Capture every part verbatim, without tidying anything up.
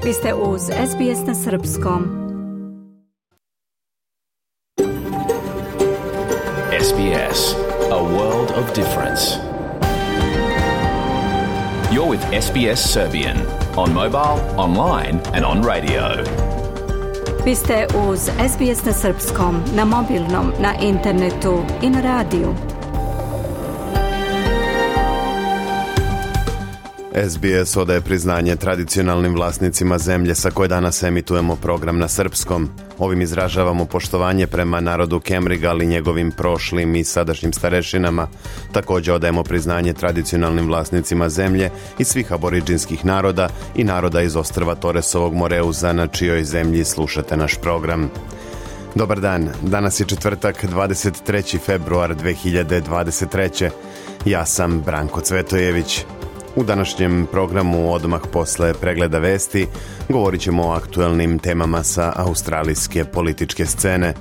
Vi ste uz S B S na srpskom. S B S, a world of difference. You're with S B S Serbian on mobile, online and on radio. Vi ste uz S B S na srpskom, na mobilnom, na internetu i na radiju. S B S odaje priznanje tradicionalnim vlasnicima zemlje sa koje danas emitujemo program na srpskom. Ovim izražavamo poštovanje prema narodu Kemriga, ali njegovim prošlim i sadašnjim starešinama. Također odajemo priznanje tradicionalnim vlasnicima zemlje i svih aboriđinskih naroda i naroda iz ostrva Toresovog Moreuza, na čijoj zemlji slušate naš program. Dobar dan, danas je četvrtak, dvadeset treći februar dve hiljade dvadeset treće. Ja sam Branko Cvetojević. U današnjem programu odmah posle pregleda vesti govorit ćemo o aktuelnim temama sa australijske političke scene.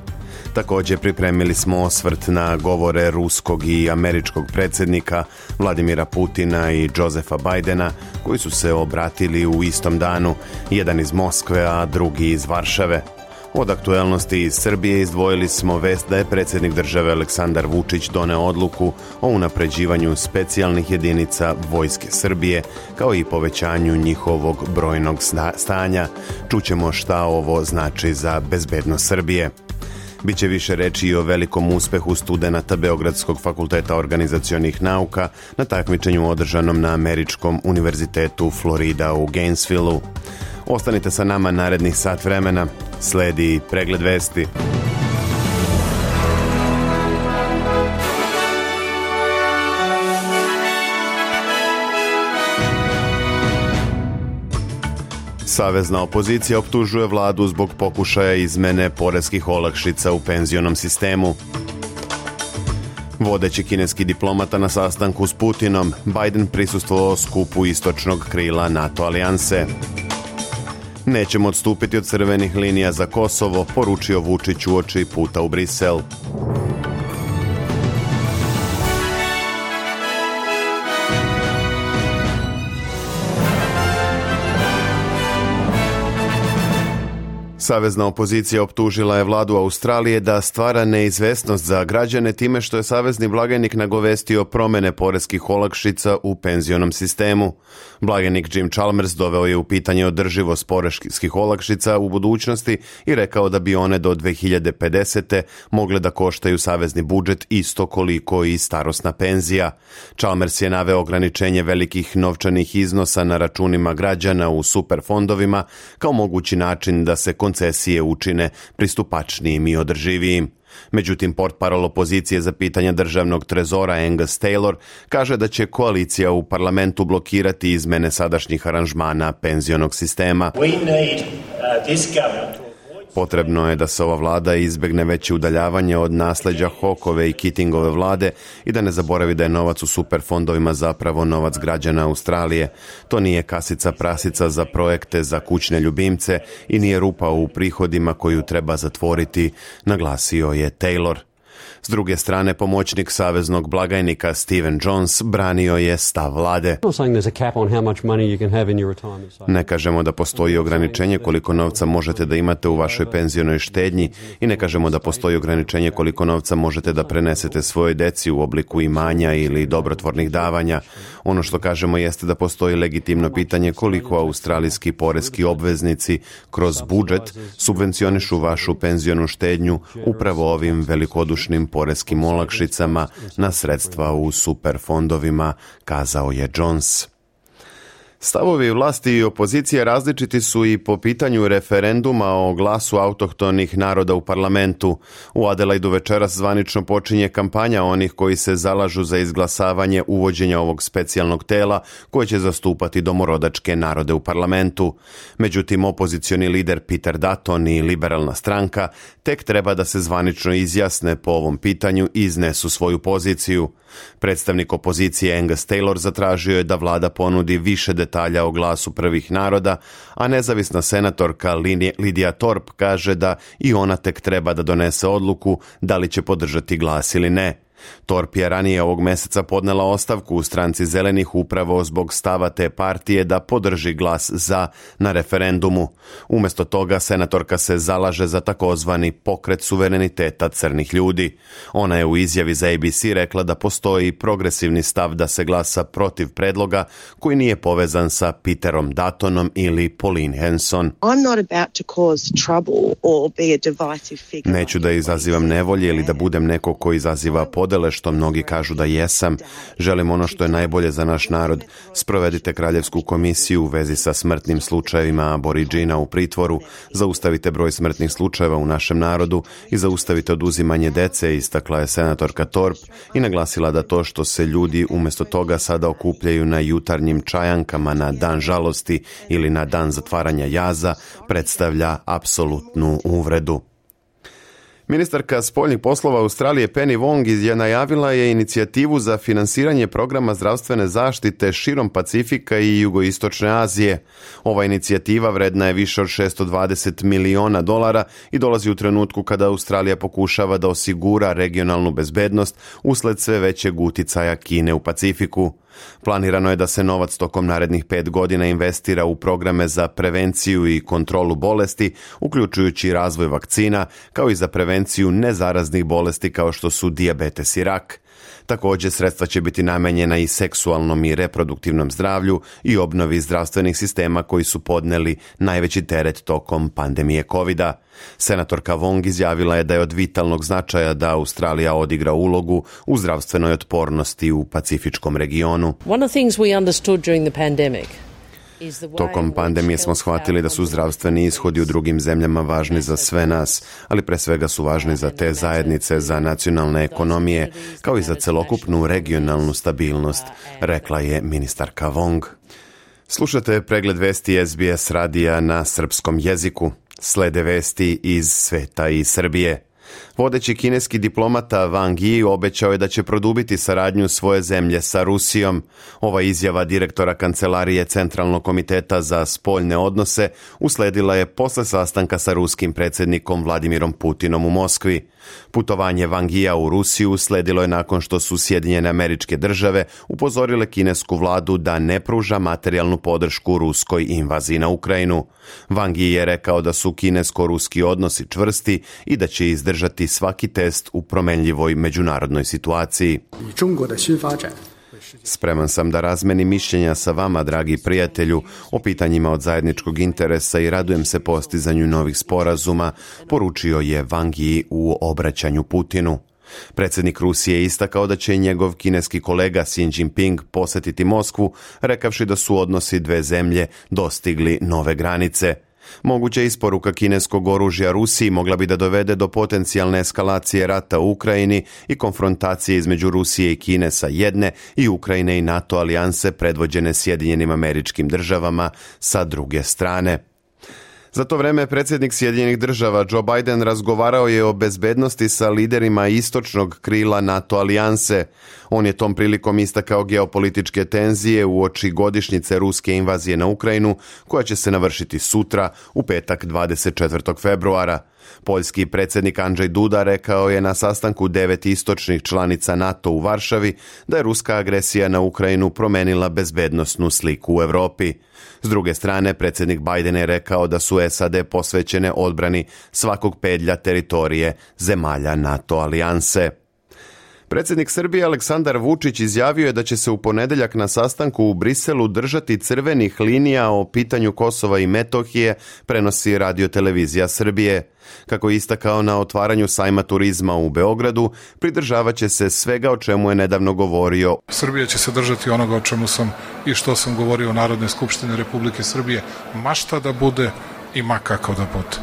Također pripremili smo osvrt na govore ruskog i američkog predsjednika Vladimira Putina i Josefa Bidena, koji su se obratili u istom danu, jedan iz Moskve, a drugi iz Varšave. Od aktuelnosti iz Srbije izdvojili smo vest da je predsjednik države Aleksandar Vučić doneo odluku o unapređivanju specijalnih jedinica Vojske Srbije, kao i povećanju njihovog brojnog stanja. Čućemo šta ovo znači za bezbednost Srbije. Biće više reći i o velikom uspehu studenata Beogradskog fakulteta organizacionih nauka na takmičenju održanom na Američkom univerzitetu Florida u Gainesvillu. Ostanite sa nama narednih sat vremena. Sledi pregled vesti. Savezna opozicija optužuje vladu zbog pokušaja izmene poreskih olakšica u penzionom sistemu. Vodeći kineski diplomata na sastanku s Putinom, Biden prisustvovao skupu istočnog krila NATO alijanse. Nećemo odstupiti od crvenih linija za Kosovo, poručio Vučić uoči puta u Brisel. Savezna opozicija optužila je vladu Australije da stvara neizvesnost za građane time što je savezni blagajnik nagovestio promjene poreskih olakšica u penzionom sistemu. Blagajnik Jim Chalmers doveo je u pitanje održivost poreskih olakšica u budućnosti i rekao da bi one do dve hiljade pedesete mogle da koštaju savezni budžet isto koliko i starosna penzija. Chalmers je naveo ograničenje velikih novčanih iznosa na računima građana u superfondovima kao mogući način da se koncesije učine pristupačnijim i održivijim. Međutim, portparol opozicije za pitanja državnog trezora Angus Taylor kaže da će koalicija u parlamentu blokirati izmene sadašnjih aranžmana penzionog sistema. Potrebno je da se ova vlada izbegne veće udaljavanje od nasljeđa Hawkeove i Keatingove vlade i da ne zaboravi da je novac u superfondovima zapravo novac građana Australije. To nije kasica prasica za projekte za kućne ljubimce i nije rupa u prihodima koju treba zatvoriti, naglasio je Taylor. S druge strane, pomoćnik saveznog blagajnika Stephen Jones branio je stav vlade. Ne kažemo da postoji ograničenje koliko novca možete da imate u vašoj penzionoj štednji i ne kažemo da postoji ograničenje koliko novca možete da prenesete svojoj deci u obliku imanja ili dobrotvornih davanja. Ono što kažemo jeste da postoji legitimno pitanje koliko australijski poreski obveznici kroz budžet subvencionišu vašu penzionu štednju upravo ovim velikodušnim poreskim olakšicama na sredstva u superfondovima, kazao je Jones. Stavovi vlasti i opozicije različiti su i po pitanju referenduma o glasu autohtonih naroda u parlamentu. U Adelaidu večeras zvanično počinje kampanja onih koji se zalažu za izglasavanje uvođenja ovog specijalnog tela koje će zastupati domorodačke narode u parlamentu. Međutim, opozicioni lider Peter Dutton i liberalna stranka tek treba da se zvanično izjasne po ovom pitanju i iznesu svoju poziciju. Predstavnik opozicije Angus Taylor zatražio je da vlada ponudi više detalja o glasu prvih naroda, a nezavisna senatorka Lidija Thorpe kaže da i ona tek treba da donese odluku da li će podržati glas ili ne. Torp je ranije ovog meseca podnela ostavku u stranci Zelenih upravo zbog stava te partije da podrži glas za na referendumu. Umjesto toga senatorka se zalaže za takozvani pokret suvereniteta crnih ljudi. Ona je u izjavi za A B C rekla da postoji progresivni stav da se glasa protiv predloga koji nije povezan sa Peterom Duttonom ili Pauline Hanson. Neću da izazivam nevolje ili da budem neko ko izaziva podele, što mnogi kažu da jesam. Želim ono što je najbolje za naš narod. Sprovedite kraljevsku komisiju u vezi sa smrtnim slučajevima aboriđina u pritvoru, zaustavite broj smrtnih slučajeva u našem narodu i zaustavite oduzimanje dece, istakla je senatorka Torp i naglasila da to što se ljudi umjesto toga sada okupljaju na jutarnjim čajankama na dan žalosti ili na dan zatvaranja jaza predstavlja apsolutnu uvredu. Ministarka spoljnih poslova Australije Penny Wong je najavila je inicijativu za finansiranje programa zdravstvene zaštite širom Pacifika i jugoistočne Azije. Ova inicijativa vredna je više od šesto dvadeset miliona dolara i dolazi u trenutku kada Australija pokušava da osigura regionalnu bezbednost usled sve većeg uticaja Kine u Pacifiku. Planirano je da se novac tokom narednih pet godina investira u programe za prevenciju i kontrolu bolesti, uključujući razvoj vakcina, kao i za prevenciju nezaraznih bolesti kao što su dijabetes i rak. Također, sredstva će biti namenjena i seksualnom i reproduktivnom zdravlju i obnovi zdravstvenih sistema koji su podneli najveći teret tokom pandemije kovida. Senatorka Wong izjavila je da je od vitalnog značaja da Australija odigra ulogu u zdravstvenoj otpornosti u pacifičkom regionu. One of the things we understood during the pandemic Tokom pandemije smo shvatili da su zdravstveni ishodi u drugim zemljama važni za sve nas, ali pre svega su važni za te zajednice, za nacionalne ekonomije, kao i za celokupnu regionalnu stabilnost, rekla je ministarka Wong. Slušate pregled vesti S B S radija na srpskom jeziku. Slede vesti iz sveta i Srbije. Vodeći kineski diplomata Wang Yi obećao je da će produbiti saradnju svoje zemlje sa Rusijom. Ova izjava direktora Kancelarije Centralnog komiteta za spoljne odnose usledila je posle sastanka sa ruskim predsjednikom Vladimirom Putinom u Moskvi. Putovanje Wang Yia u Rusiju usledilo je nakon što su Sjedinjene Američke Države upozorile kinesku vladu da ne pruža materijalnu podršku ruskoj invaziji na Ukrajinu. Wang Yi je rekao da su kinesko-ruski odnosi čvrsti i da će izdržati svaki test u promenljivoj međunarodnoj situaciji. Spreman sam da razmenim mišljenja sa vama, dragi prijatelju, o pitanjima od zajedničkog interesa i radujem se postizanju novih sporazuma, poručio je Wang Yi u obraćanju Putinu. Predsjednik Rusije je istakao da će njegov kineski kolega Xi Jinping posjetiti Moskvu, rekavši da su odnosi dve zemlje dostigli nove granice. Moguća isporuka kineskog oružja Rusiji mogla bi da dovede do potencijalne eskalacije rata u Ukrajini i konfrontacije između Rusije i Kine sa jedne i Ukrajine i NATO alijanse predvođene Sjedinjenim Američkim Državama sa druge strane. Za to vreme predsjednik Sjedinjenih Država Joe Biden razgovarao je o bezbednosti sa liderima istočnog krila NATO alijanse. On je tom prilikom istakao geopolitičke tenzije uoči godišnjice ruske invazije na Ukrajinu, koja će se navršiti sutra, u petak dvadeset četvrtog februara. Poljski predsjednik Andrzej Duda rekao je na sastanku devet istočnih članica NATO u Varšavi da je ruska agresija na Ukrajinu promenila bezbednosnu sliku u Europi. S druge strane, predsjednik Biden je rekao da su S A D posvećene odbrani svakog pedlja teritorije zemalja NATO alijanse. Predsjednik Srbije Aleksandar Vučić izjavio je da će se u ponedjeljak na sastanku u Briselu držati crvenih linija o pitanju Kosova i Metohije, prenosi radiotelevizija Srbije. Kako je istakao na otvaranju sajma turizma u Beogradu, pridržavat će se svega o čemu je nedavno govorio. Srbija će se držati onoga o čemu sam i što sam govorio u Narodnoj skupštini Republike Srbije, ma šta da bude i ma kako da bude.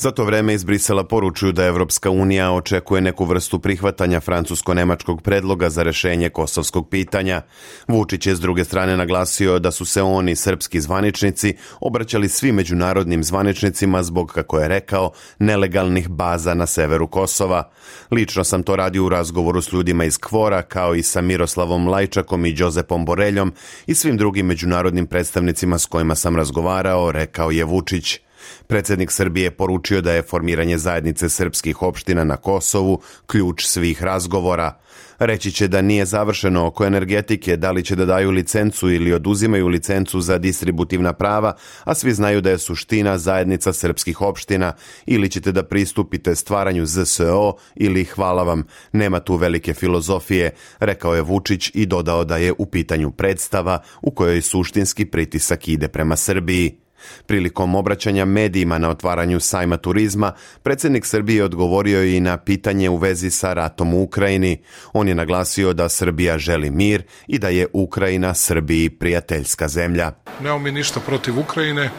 Za to vreme iz Brisela poručuju da Evropska unija očekuje neku vrstu prihvatanja francusko-nemačkog predloga za rešenje kosovskog pitanja. Vučić je s druge strane naglasio da su se oni, srpski zvaničnici, obraćali svim međunarodnim zvaničnicima zbog, kako je rekao, nelegalnih baza na severu Kosova. Lično sam to radio u razgovoru s ljudima iz Kvora, kao i sa Miroslavom Lajčakom i Đozepom Boreljom i svim drugim međunarodnim predstavnicima s kojima sam razgovarao, rekao je Vučić. Predsjednik Srbije je poručio da je formiranje zajednice srpskih opština na Kosovu ključ svih razgovora. Reći će da nije završeno oko energetike, da li će da daju licencu ili oduzimaju licencu za distributivna prava, a svi znaju da je suština zajednica srpskih opština, ili ćete da pristupite stvaranju Z S O ili hvala vam, nema tu velike filozofije, rekao je Vučić i dodao da je u pitanju predstava u kojoj suštinski pritisak ide prema Srbiji. Prilikom obraćanja medijima na otvaranju sajma turizma, predsjednik Srbije odgovorio i na pitanje u vezi sa ratom u Ukrajini. On je naglasio da Srbija želi mir i da je Ukrajina Srbiji prijateljska zemlja. Nemamo mi ništa protiv Ukrajine,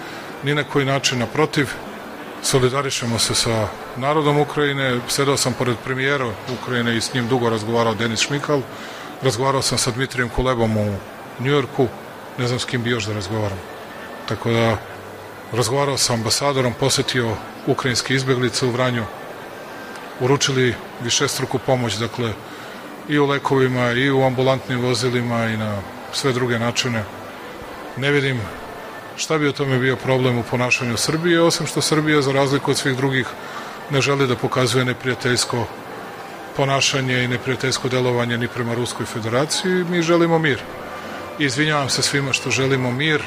ni na koji način naprotiv. Solidarišemo se sa narodom Ukrajine. Sedao sam pored premijera Ukrajine i s njim dugo razgovarao Denis Šmikal. Razgovarao sam sa Dmitrijem Kulebom u Njujorku. Ne znam s kim bi još da razgovaram. Tako da razgovarao sa ambasadorom, posetio ukrajinske izbeglice u Vranju, uručili višestruku pomoć, dakle, i u lekovima, i u ambulantnim vozilima, i na sve druge načine. Ne vidim šta bi o tome bio problem u ponašanju Srbije, osim što Srbija, za razliku od svih drugih, ne želi da pokazuje neprijateljsko ponašanje i neprijateljsko delovanje ni prema Ruskoj federaciji. Mi želimo mir. I izvinjavam se svima što želimo mir,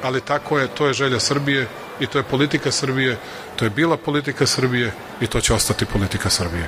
ali tako je, to je želja Srbije i to je politika Srbije, to je bila politika Srbije i to će ostati politika Srbije.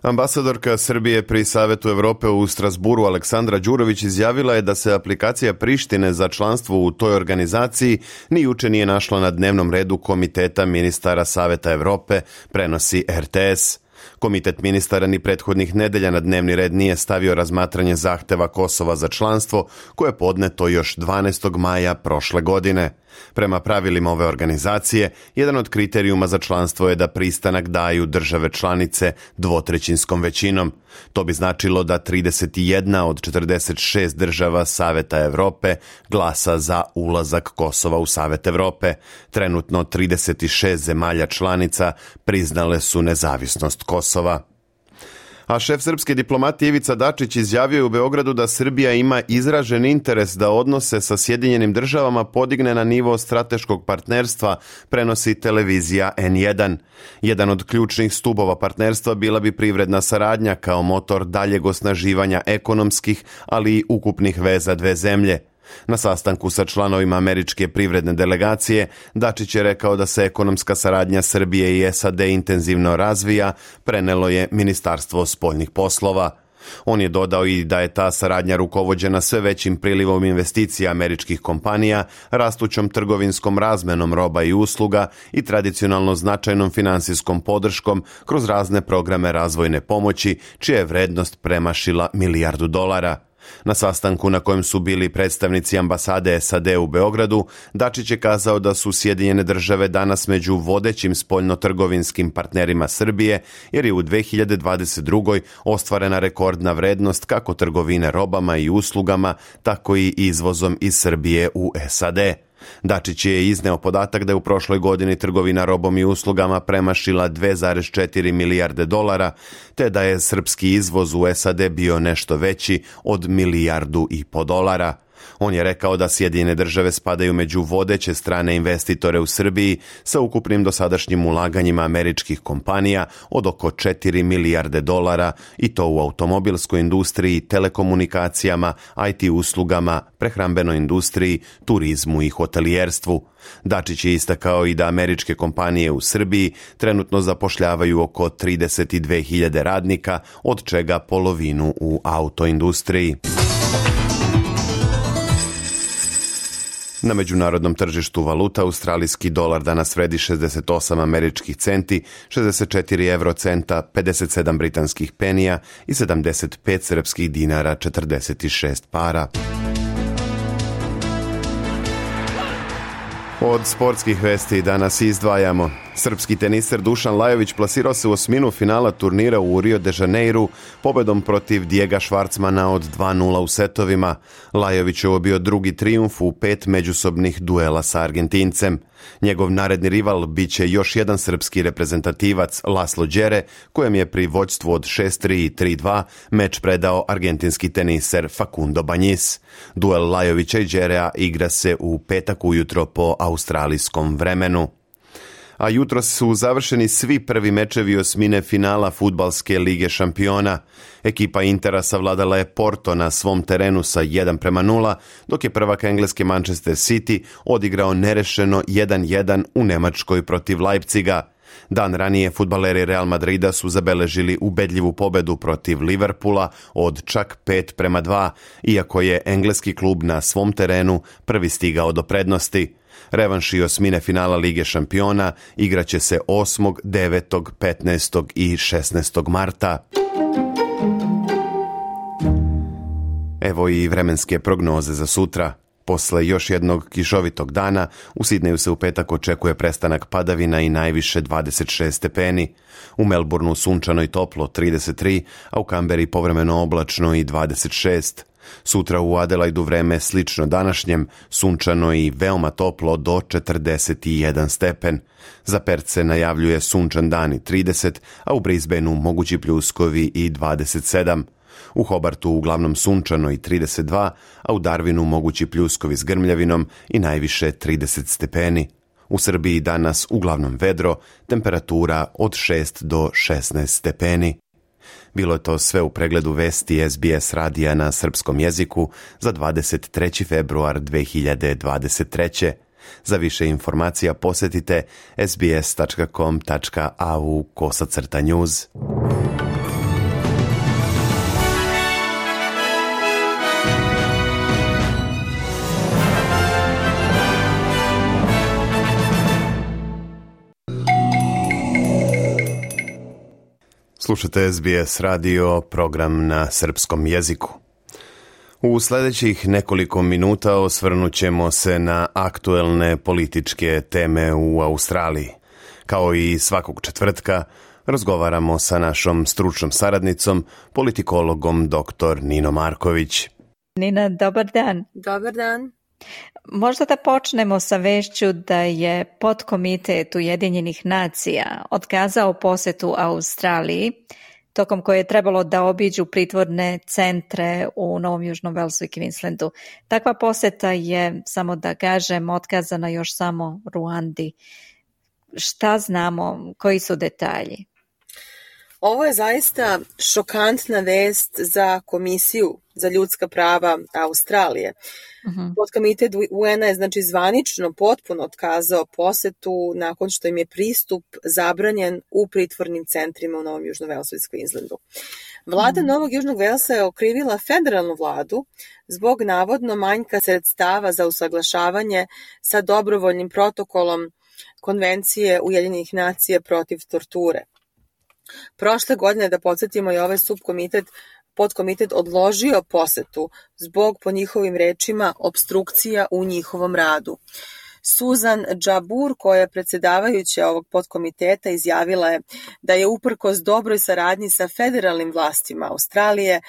Ambasadorka Srbije pri Savetu Evrope u Strasburu Aleksandra Đurović izjavila je da se aplikacija Prištine za članstvo u toj organizaciji ni juče nije našla na dnevnom redu Komiteta ministara Saveta Evrope, prenosi R T S. Komitet ministara ni prethodnih nedelja na dnevni red nije stavio razmatranje zahteva Kosova za članstvo, koje je podneto još dvanaestog maja prošle godine. Prema pravilima ove organizacije, jedan od kriterijuma za članstvo je da pristanak daju države članice dvotrećinskom većinom. To bi značilo da trideset jedna od četrdeset šest država Saveta Evrope glasa za ulazak Kosova u Savet Evrope. Trenutno trideset šest zemalja članica priznale su nezavisnost Kosova. A šef srpske diplomatije Ivica Dačić izjavio je u Beogradu da Srbija ima izražen interes da odnose sa Sjedinjenim državama podigne na nivo strateškog partnerstva, prenosi televizija N jedan. Jedan od ključnih stubova partnerstva bila bi privredna saradnja kao motor daljeg osnaživanja ekonomskih, ali i ukupnih veza dve zemlje. Na sastanku sa članovima američke privredne delegacije, Dačić je rekao da se ekonomska saradnja Srbije i S A D intenzivno razvija, prenelo je Ministarstvo spoljnih poslova. On je dodao i da je ta saradnja rukovođena sve većim prilivom investicija američkih kompanija, rastućom trgovinskom razmenom roba i usluga i tradicionalno značajnom finansijskom podrškom kroz razne programe razvojne pomoći, čija je vrednost premašila milijardu dolara. Na sastanku na kojem su bili predstavnici ambasade S A D u Beogradu, Dačić je kazao da su Sjedinjene države danas među vodećim spoljnotrgovinskim partnerima Srbije, jer je u dve hiljade dvadeset drugoj ostvarena rekordna vrednost kako trgovine robama i uslugama, tako i izvozom iz Srbije u S A D. Dačić je izneo podatak da je u prošloj godini trgovina robom i uslugama premašila dve zarez četiri milijarde dolara, te da je srpski izvoz u S A D bio nešto veći od milijardu i po dolara. On je rekao da Sjedinjene države spadaju među vodeće strane investitore u Srbiji sa ukupnim dosadašnjim ulaganjima američkih kompanija od oko četiri milijarde dolara i to u automobilskoj industriji, telekomunikacijama, I T uslugama, prehrambenoj industriji, turizmu i hotelijerstvu. Dačić je istakao i da američke kompanije u Srbiji trenutno zapošljavaju oko trideset dve hiljade radnika, od čega polovinu u autoindustriji. Na međunarodnom tržištu valuta australijski dolar danas vredi šezdeset osam američkih centi, šezdeset četiri evrocenta, pedeset sedam britanskih penija i sedamdeset pet srpskih dinara četrdeset šest para. Od sportskih vesti danas izdvajamo. Srpski teniser Dušan Lajović plasirao se u osminu finala turnira u Rio de Janeiru pobedom protiv Dijega Švarcmana od dva nula u setovima. Lajović je bio drugi trijumf u pet međusobnih duela sa Argentincem. Njegov naredni rival biće još jedan srpski reprezentativac Laslo Đere, kojem je pri vođstvu od šest tri i tri dva meč predao argentinski teniser Facundo Bañez. Duel Lajovića i Đerea igra se u petak ujutro po australijskom vremenu. A jutro su završeni svi prvi mečevi osmine finala fudbalske lige šampiona. Ekipa Intera savladala je Porto na svom terenu sa jedan prema nula, dok je prvak engleske Manchester City odigrao nerešeno jedan jedan u Nemačkoj protiv Leipziga. Dan ranije fudbaleri Real Madrida su zabeležili ubedljivu pobedu protiv Liverpoola od čak pet prema dva, iako je engleski klub na svom terenu prvi stigao do prednosti. Revanš i osmine finala Lige šampiona igraće se osmog, devetog, petnaestog i šesnaestog marta. Evo i vremenske prognoze za sutra. Posle još jednog kišovitog dana, u Sidneju se u petak očekuje prestanak padavina i najviše dvadeset šest stepeni. U Melbourneu sunčano i toplo trideset tri, a u Kamberi povremeno oblačno i dvadeset šest. Sutra u Adelaidu vreme slično današnjem, sunčano i veoma toplo do četrdeset jedan stepen. Za Perth se najavljuje sunčan dan i trideset, a u Brisbaneu mogući pljuskovi i dvadeset sedam. U Hobartu uglavnom sunčano i trideset dva, a u Darwinu mogući pljuskovi s grmljavinom i najviše trideset stepeni. U Srbiji danas uglavnom vedro, temperatura od šest do šesnaest stepeni. Bilo je to sve u pregledu vesti S B S radija na srpskom jeziku za dvadeset treći februar dve hiljade dvadeset treće. Za više informacija posjetite sbs tačka com tačka a u kosacrta news. Slušate S B S radio, program na srpskom jeziku. U sljedećih nekoliko minuta osvrnut ćemo se na aktuelne političke teme u Australiji. Kao i svakog četvrtka, razgovaramo sa našom stručnom saradnicom, politikologom doktor Nino Marković. Nina, dobar dan. Dobar dan. Možda da počnemo sa vešću da je podkomitet Ujedinjenih nacija otkazao posetu Australiji, tokom koje je trebalo da obiđu pritvorne centre u Novom Južnom Velsu i Queenslandu. Takva poseta je, samo da kažem, otkazana još samo Ruandi. Šta znamo? Koji su detalji? Ovo je zaista šokantna vest za Komisiju za ljudska prava Australije. Uh-huh. Podkomitet U N-a je znači zvanično potpuno otkazao posetu nakon što im je pristup zabranjen u pritvornim centrima u Novom Južnom Velsu i Queenslandu. Vlada uh-huh. Novog Južnog Velsa je okrivila federalnu vladu zbog navodno manjka sredstava za usaglašavanje sa dobrovoljnim protokolom Konvencije Ujedinjenih nacija protiv torture. Prošle godine, da podsjetimo, je ovaj subkomitet, podkomitet odložio posetu zbog, po njihovim rečima, obstrukcija u njihovom radu. Susan Jabbour, koja je predsjedavajuća ovog podkomiteta, izjavila je da je uprkos dobroj saradnji sa federalnim vlastima Australije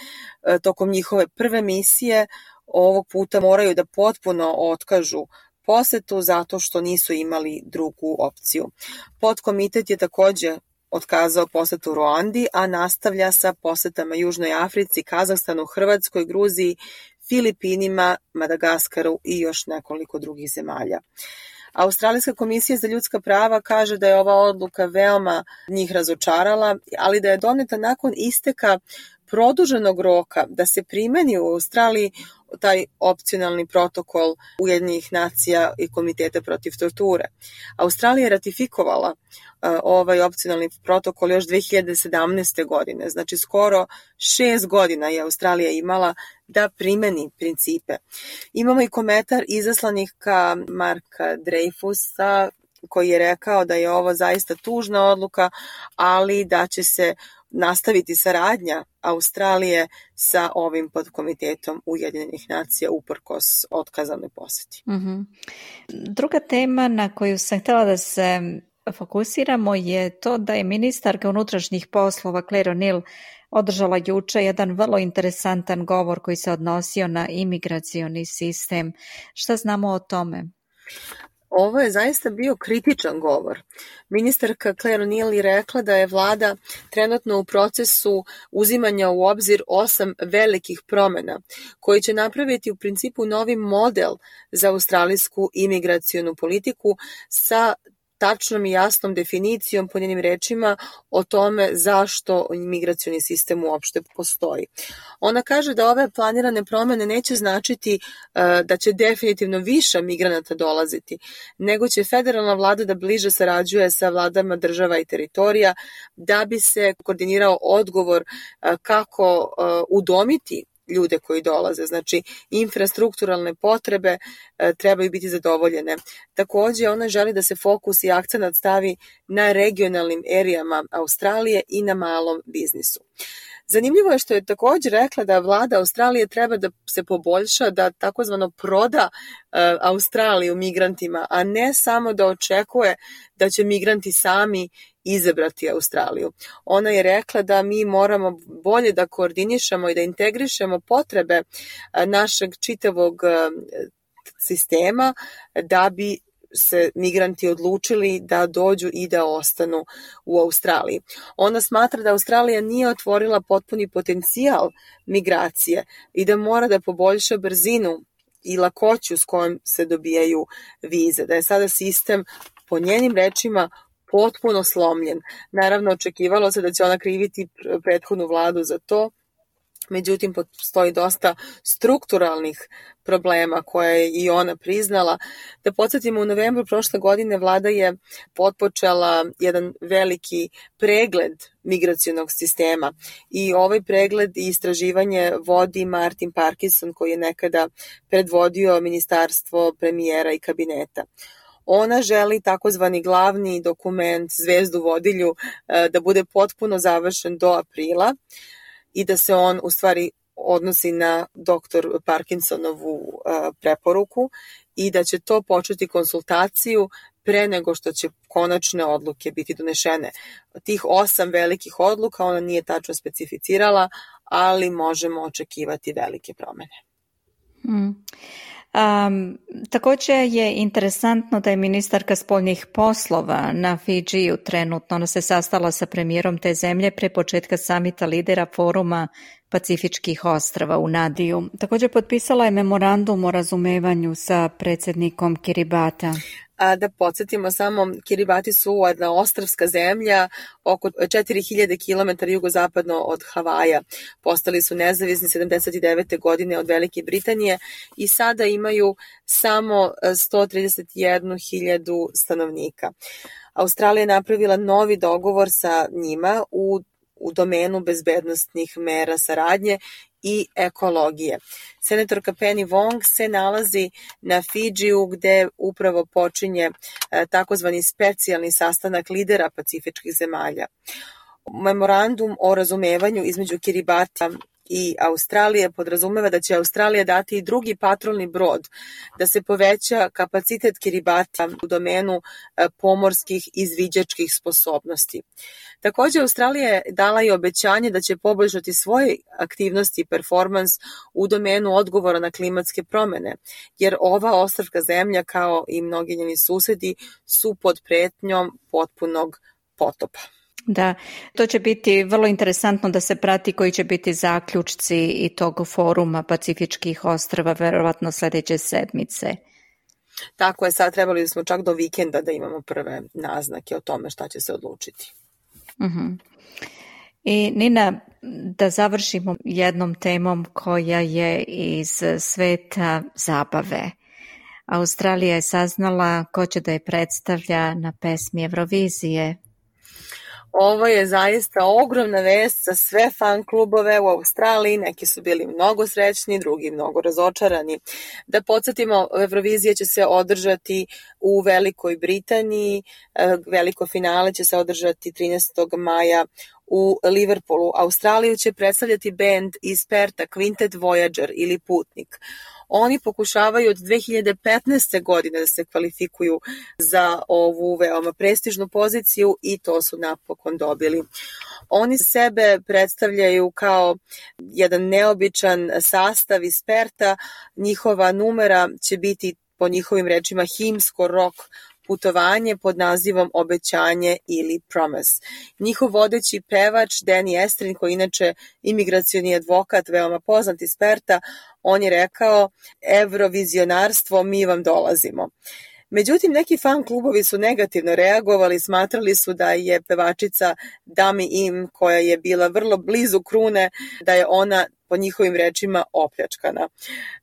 tokom njihove prve misije ovog puta moraju da potpuno otkažu posetu zato što nisu imali drugu opciju. Podkomitet je također otkazao posetu Ruandi, a nastavlja sa posetama Južnoj Africi, Kazahstanu, Hrvatskoj, Gruziji, Filipinima, Madagaskaru i još nekoliko drugih zemalja. Australijska komisija za ljudska prava kaže da je ova odluka veoma njih razočarala, ali da je doneta nakon isteka produženog roka da se primeni u Australiji taj opcionalni protokol Ujedinjenih nacija i Komiteta protiv torture. Australija je ratifikovala uh, ovaj opcionalni protokol još dve hiljade sedamnaeste. godine, znači skoro šest godina je Australija imala da primeni principe. Imamo i komentar izaslanika Marka Dreyfusa koji je rekao da je ovo zaista tužna odluka, ali da će se nastaviti saradnja Australije sa ovim podkomitetom Ujedinjenih nacija uprkos otkazanoj poseti. Mm-hmm. Druga tema na koju sam htjela da se fokusiramo je to da je ministarka unutrašnjih poslova Claire O'Neill održala juče jedan vrlo interesantan govor koji se odnosio na imigracioni sistem. Šta znamo o tome? Ovo je zaista bio kritičan govor. Ministarka Claire O'Neil je rekla da je vlada trenutno u procesu uzimanja u obzir osam velikih promena koji će napraviti u principu novi model za australijsku imigracionu politiku sa tačnom i jasnom definicijom, po njenim rečima, o tome zašto imigracioni sistem uopšte postoji. Ona kaže da ove planirane promene neće značiti uh, da će definitivno više migranata dolaziti, nego će federalna vlada da bliže sarađuje sa vladama država i teritorija da bi se koordinirao odgovor uh, kako uh, udomiti ljude koji dolaze. Znači, infrastrukturalne potrebe e, trebaju biti zadovoljene. Takođe, ona želi da se fokus i akcenat stavi na regionalnim erijama Australije i na malom biznisu. Zanimljivo je što je takođe rekla da vlada Australije treba da se poboljša, da takozvano proda e, Australiju migrantima, a ne samo da očekuje da će migranti sami izabrati Australiju. Ona je rekla da mi moramo bolje da koordinišemo i da integrišemo potrebe našeg čitavog sistema da bi se migranti odlučili da dođu i da ostanu u Australiji. Ona smatra da Australija nije otvorila potpuni potencijal migracije i da mora da poboljša brzinu i lakoću s kojom se dobijaju vize. Da je sada sistem, po njenim rečima, potpuno slomljen. Naravno, očekivalo se da će ona kriviti prethodnu vladu za to, međutim, postoji dosta strukturalnih problema koje je i ona priznala. Da podsjetimo, u novembru prošle godine vlada je potpočela jedan veliki pregled migracionog sistema i ovaj pregled i istraživanje vodi Martin Parkinson, koji je nekada predvodio ministarstvo premijera i kabineta. Ona želi takozvani glavni dokument, zvezdu vodilju, da bude potpuno završen do aprila i da se on u stvari odnosi na doktor Parkinsonovu preporuku i da će to početi konsultaciju pre nego što će konačne odluke biti donešene. Tih osam velikih odluka ona nije tačno specificirala, ali možemo očekivati velike promene. Hmm. Um, takođe je interesantno da je ministarka spoljnih poslova na Fidžiju trenutno, ona se sastala sa premijerom te zemlje pre početka samita lidera foruma Pacifičkih ostrava u Nadiju. Takođe potpisala je memorandum o razumevanju sa predsednikom Kiribata. A da podsjetimo samo, Kiribati su jedna ostrvska zemlja oko četiri hiljade kilometara jugozapadno od Havaja. Postali su nezavisni sedamdeset devete godine od Velike Britanije i sada imaju samo sto trideset jednu hiljadu stanovnika. Australija je napravila novi dogovor sa njima u u domenu bezbednostnih mera saradnje i ekologije. Senatorka Penny Wong se nalazi na Fidžiju gde upravo počinje takozvani specijalni sastanak lidera pacifičkih zemalja. Memorandum o razumevanju između Kiribata i Australije podrazumeva da će Australija dati i drugi patrolni brod, da se poveća kapacitet Kiribata u domenu pomorskih izviđačkih sposobnosti. Takođe, Australija je dala i obećanje da će poboljšati svoje aktivnosti i performans u domenu odgovora na klimatske promene, jer ova ostrvska zemlja, kao i mnogi njeni susedi, su pod pretnjom potpunog potopa. Da, to će biti vrlo interesantno da se prati koji će biti zaključci i tog foruma Pacifičkih ostrava, verovatno sledeće sedmice. Tako je, sad trebali smo čak do vikenda da imamo prve naznake o tome šta će se odlučiti. Uh-huh. I Nina, da završimo jednom temom koja je iz sveta zabave. Australija je saznala ko će da je predstavlja na pesmi Eurovizije. Ovo je zaista ogromna vest za sve fan klubove u Australiji, neki su bili mnogo srećni, drugi mnogo razočarani. Da podsjetimo, Eurovizija će se održati u Velikoj Britaniji, veliko finale će se održati trinaestog maja u Liverpoolu. Australiju će predstavljati bend iz Perta, Quintet Voyager ili Putnik. Oni pokušavaju od dve hiljade petnaeste. godine da se kvalifikuju za ovu veoma prestižnu poziciju i to su napokon dobili. Oni sebe predstavljaju kao jedan neobičan sastav iz Perta, njihova numera će biti po njihovim rečima himsko rock putovanje pod nazivom Obećanje ili Promise. Njihov vodeći pevač Danny Estrin, koji inače imigracioni advokat, veoma poznat iz Perta, on je rekao: Evrovizionarstvo, mi vam dolazimo. Međutim, neki fan klubovi su negativno reagovali, smatrali su da je pevačica Dami Im, koja je bila vrlo blizu krune, da je ona po njihovim rečima opljačkana,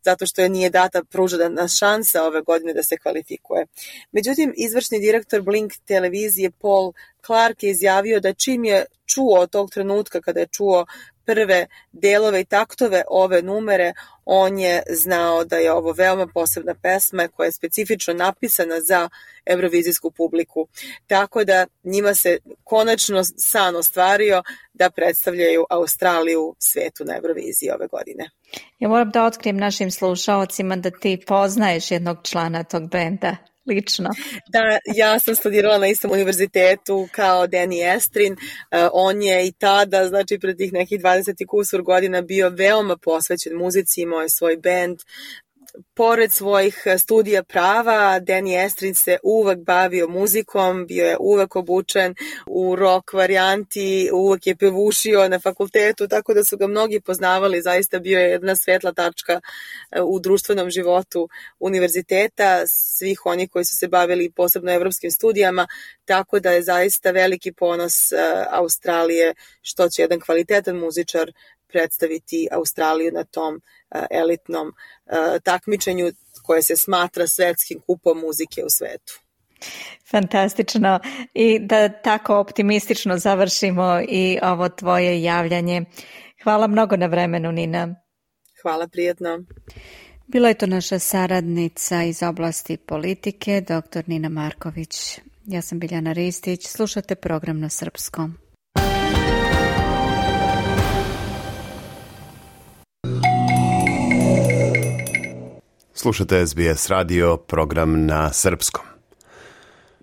zato što je nije data pružena šansa ove godine da se kvalifikuje. Međutim, izvršni direktor Blink televizije Paul Clark je izjavio da čim je čuo od tog trenutka kada je čuo prve delove i taktove ove numere, on je znao da je ovo veoma posebna pesma koja je specifično napisana za evrovizijsku publiku. Tako da njima se konačno san ostvario da predstavljaju Australiju svetu na Euroviziji ove godine. Ja moram da otkrijem našim slušaocima da ti poznaješ jednog člana tog benda. Lično. Da, ja sam studirala na istom univerzitetu kao Danny Estrin. Uh, on je i tada, znači pred tih nekih dvadeset i kusur godina, bio veoma posvećen muzici, imao je svoj bend. Pored svojih studija prava, Danny Estrin se uvek bavio muzikom, bio je uvek obučen u rock varijanti, uvek je pevušio na fakultetu, tako da su ga mnogi poznavali, zaista bio je jedna svetla tačka u društvenom životu univerziteta, svih onih koji su se bavili posebno evropskim studijama, tako da je zaista veliki ponos Australije što će jedan kvalitetan muzičar predstaviti Australiju na tom elitnom takmičenju koje se smatra svetskim kupom muzike u svetu. Fantastično. I da tako optimistično završimo i ovo tvoje javljanje. Hvala mnogo na vremenu, Nina. Hvala, prijetno. Bila je to naša saradnica iz oblasti politike, doktor Nina Marković. Ja sam Biljana Ristić, slušate program na srpskom. Slušate S B S radio, program na srpskom.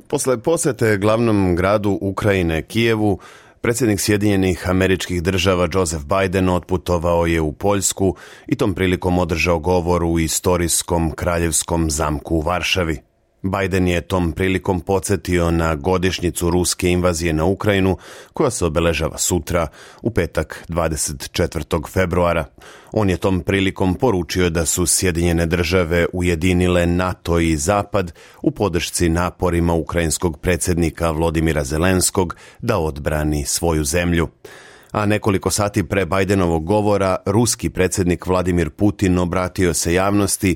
Posle posete glavnom gradu Ukrajine, Kijevu, predsjednik Sjedinjenih Američkih Država Joseph Biden otputovao je u Poljsku i tom prilikom održao govor u istorijskom kraljevskom zamku u Varšavi. Biden je tom prilikom podsjetio na godišnjicu ruske invazije na Ukrajinu, koja se obeležava sutra, u petak dvadeset četvrtog februara. On je tom prilikom poručio da su Sjedinjene Države ujedinile NATO i Zapad u podršci naporima ukrajinskog predsjednika Volodymyra Zelenskog da odbrani svoju zemlju. A nekoliko sati pre Bidenovog govora, ruski predsjednik Vladimir Putin obratio se javnosti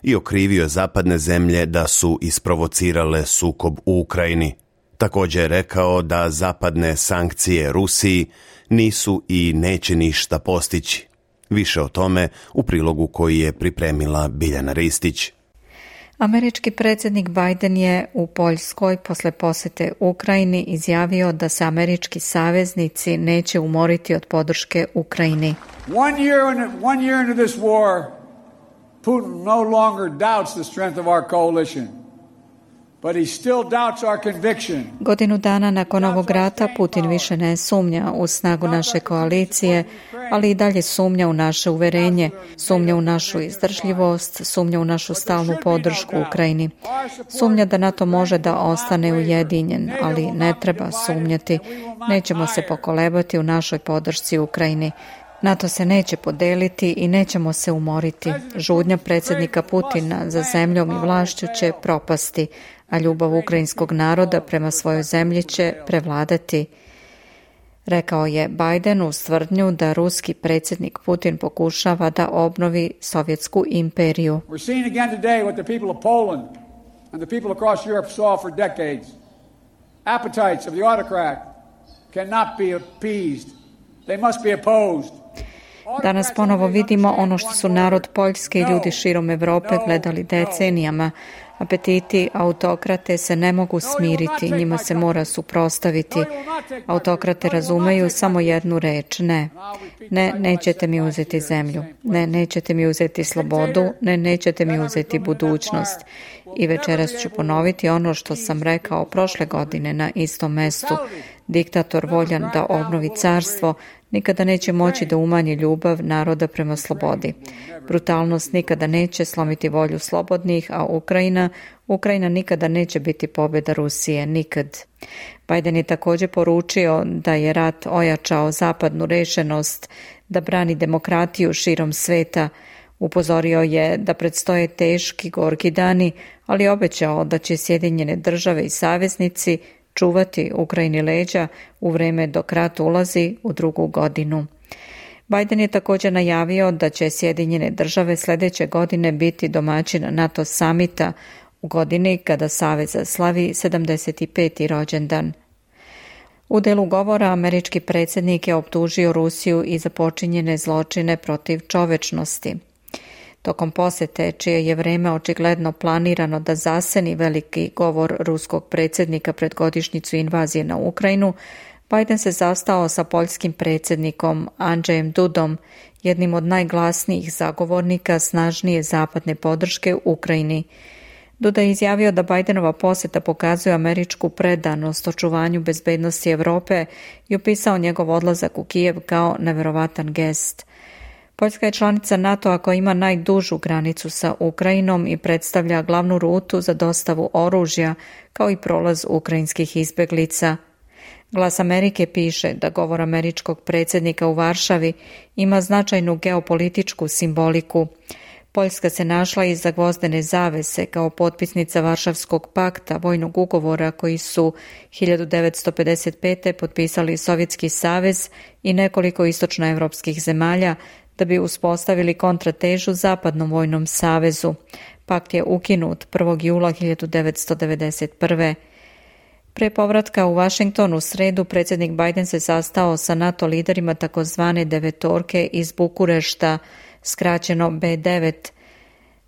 i okrivio zapadne zemlje da su isprovocirale sukob u Ukrajini. Također je rekao da zapadne sankcije Rusiji nisu i neće ništa postići. Više o tome u prilogu koji je pripremila Biljana Ristić. Američki predsjednik Biden je u Poljskoj posle posete Ukrajini izjavio da se američki saveznici neće umoriti od podrške Ukrajini. One year, in, one year into this war, Putin no longer doubts the strength of our coalition, but he still doubts our conviction. Godinu dana nakon ovog rata Putin više ne sumnja u snagu naše koalicije, ali i dalje sumnja u naše uverenje, sumnja u našu izdržljivost, sumnja u našu stalnu podršku Ukrajini. Sumnja da NATO može da ostane ujedinjen, ali ne treba sumnjati. Nećemo se pokolebati u našoj podršci Ukrajini. NATO se neće podeliti i nećemo se umoriti. Žudnja predsjednika Putina za zemljom i vlašću će propasti, a ljubav ukrajinskog naroda prema svojoj zemlji će prevladati. Rekao je Biden uz tvrdnju da ruski predsjednik Putin pokušava da obnovi sovjetsku imperiju. We're seeing again today what the people of Poland and the people across Europe saw for decades. Appetites of the autocrat cannot be appeased. They must be opposed. Danas ponovo vidimo ono što su narod Poljske i ljudi širom Evrope gledali decenijama. Apetiti autokrate se ne mogu smiriti, njima se mora suprotstaviti. Autokrate razumeju samo jednu reč, ne. Ne, nećete mi uzeti zemlju. Ne, nećete mi uzeti slobodu. Ne, nećete mi uzeti budućnost. I večeras ću ponoviti ono što sam rekao prošle godine na istom mestu. diktator voljan da obnovi carstvo, nikada neće moći da umanji ljubav naroda prema slobodi. Brutalnost nikada neće slomiti volju slobodnih, a Ukrajina, Ukrajina nikada neće biti pobjeda Rusije, nikad. Biden je također poručio da je rat ojačao zapadnu rešenost da brani demokratiju širom sveta. Upozorio je da predstoje teški, gorki dani, ali obećao da će Sjedinjene države i saveznici čuvati Ukrajini leđa u vreme dok rat ulazi u drugu godinu. Biden je također najavio da će Sjedinjene države sljedeće godine biti domaćin NATO samita u godini kada Savez slavi sedamdeset peti rođendan. U delu govora američki predsjednik je optužio Rusiju i za počinjene zločine protiv čovečnosti. Tokom posjete, čije je vreme očigledno planirano da zaseni veliki govor ruskog predsjednika pred godišnjicu invazije na Ukrajinu, Biden se zastao sa poljskim predsjednikom Andrzejem Dudom, jednim od najglasnijih zagovornika snažnije zapadne podrške Ukrajini. Duda je izjavio da Bidenova posjeta pokazuje američku predanost očuvanju bezbednosti Europe i opisao njegov odlazak u Kijev kao neverovatan gest. Poljska je članica NATO-a koja ima najdužu granicu sa Ukrajinom i predstavlja glavnu rutu za dostavu oružja, kao i prolaz ukrajinskih izbeglica. Glas Amerike piše da govor američkog predsjednika u Varšavi ima značajnu geopolitičku simboliku. Poljska se našla iza gvozdene zavese kao potpisnica Varšavskog pakta, vojnog ugovora koji su hiljadu devetsto pedeset pete potpisali Sovjetski savez i nekoliko istočnoevropskih zemalja da bi uspostavili kontratežu Zapadnom vojnom savezu. Pakt je ukinut prvog jula hiljadu devetsto devedeset prve. Pre povratka u Washington u sredu predsjednik Biden se sastao sa NATO liderima takozvane devetorke iz Bukurešta, skraćeno be devet,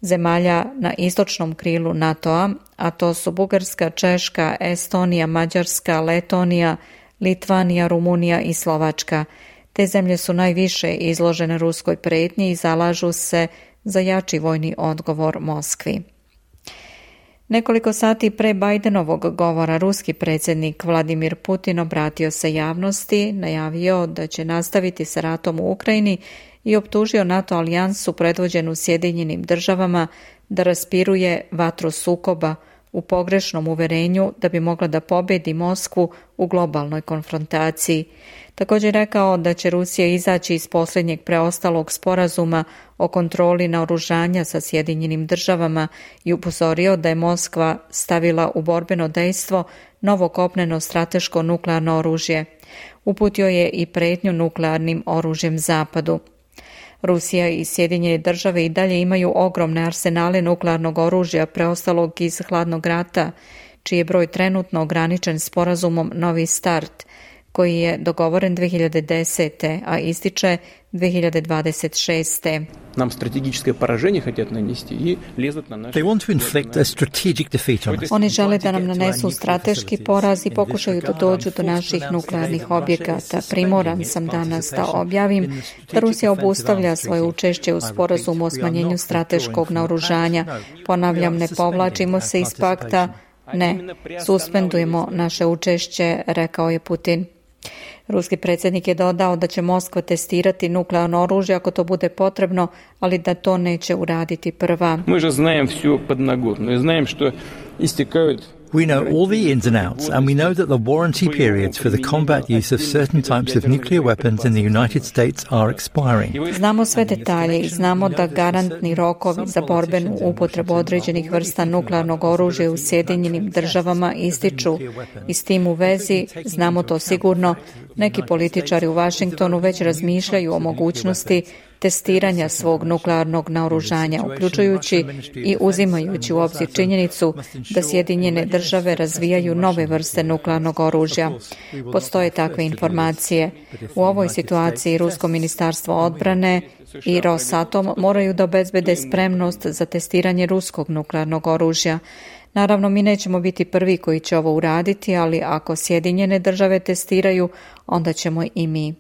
zemalja na istočnom krilu NATO-a, a to su Bugarska, Češka, Estonija, Mađarska, Letonija, Litvanija, Rumunija i Slovačka. Te zemlje su najviše izložene ruskoj pretnji i zalažu se za jači vojni odgovor Moskvi. Nekoliko sati pre Bidenovog govora ruski predsjednik Vladimir Putin obratio se javnosti, najavio da će nastaviti sa ratom u Ukrajini i optužio NATO alijansu predvođenu Sjedinjenim državama da raspiruje vatru sukoba u pogrešnom uverenju da bi mogla da pobjedi Moskvu u globalnoj konfrontaciji. Također rekao da će Rusija izaći iz posljednjeg preostalog sporazuma o kontroli naoružanja sa Sjedinjenim državama i upozorio da je Moskva stavila u borbeno dejstvo novo kopneno strateško nuklearno oružje. Uputio je i pretnju nuklearnim oružjem Zapadu. Rusija i Sjedinjene države i dalje imaju ogromne arsenale nuklearnog oružja preostalog iz hladnog rata, čiji je broj trenutno ograničen sporazumom Novi start, koji je dogovoren dve hiljade desete. a ističe dve hiljade dvadeset šeste. Nam strategičko poraženje хотят нанести и лезут на наши. They want to inflict a strategic defeat on us. Oni žele da nam nanesu strateški poraz i pokušaju da dođu do naših nuklearnih objekata. Primoran sam danas da objavim da Rusija obustavlja svoje učešće u sporazumu o smanjenju strateškog naoružanja. Ponavljam, ne povlačimo se iz pakta, ne, suspendujemo naše učešće, rekao je Putin. Ruski predsjednik je dodao da će Moskva testirati nuklearno oružje ako to bude potrebno, ali da to neće uraditi prva. Mi же знаем всё подноготно и знаем что истекают. We know all the ins and outs, and we know that the warranty periods for the combat use of certain types of nuclear weapons in the United States are expiring. Znamo sve detalje i znamo da garantni rokovi za borbenu upotrebu određenih vrsta nuklearnog oružja u Sjedinjenim državama ističu. I s tim u vezi, znamo to sigurno, neki političari u Washingtonu već razmišljaju o mogućnosti testiranja svog nuklearnog naoružanja, uključujući i uzimajući u obzir činjenicu da Sjedinjene države razvijaju nove vrste nuklearnog oružja. Postoje takve informacije. U ovoj situaciji Rusko ministarstvo odbrane i Rosatom moraju da obezbede spremnost za testiranje ruskog nuklearnog oružja. Naravno, mi nećemo biti prvi koji će ovo uraditi, ali ako Sjedinjene države testiraju, onda ćemo i mi.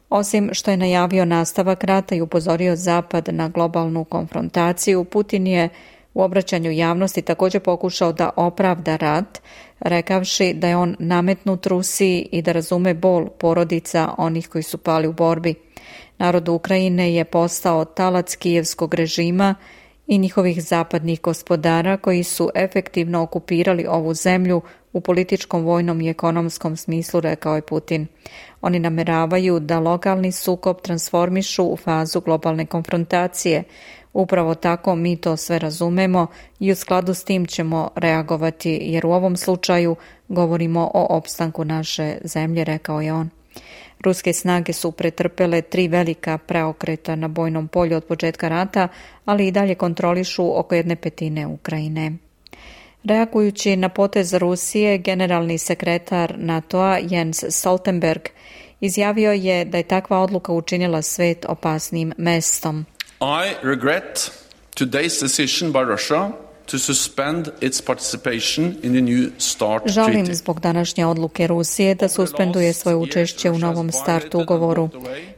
Osim što je najavio nastavak rata i upozorio Zapad na globalnu konfrontaciju, Putin je u obraćanju javnosti također pokušao da opravda rat, rekavši da je on nametnut Rusiji i da razume bol porodica onih koji su pali u borbi. Narod Ukrajine je postao talac kijevskog režima i njihovih zapadnih gospodara koji su efektivno okupirali ovu zemlju u političkom, vojnom i ekonomskom smislu, rekao je Putin. Oni nameravaju da lokalni sukob transformišu u fazu globalne konfrontacije. Upravo tako mi to sve razumemo i u skladu s tim ćemo reagovati, jer u ovom slučaju govorimo o opstanku naše zemlje, rekao je on. Ruske snage su pretrpele tri velika preokreta na bojnom polju od početka rata, ali i dalje kontrolišu oko jedne petine Ukrajine. Reagujući na potez Rusije, generalni sekretar NATO-a Jens Stoltenberg izjavio je da je takva odluka učinila svet opasnim mestom. I regret today's decision by Russia to suspend its participation in the new START treaty. Žalim zbog današnje odluke Rusije da suspenduje svoje učešće u novom START ugovoru.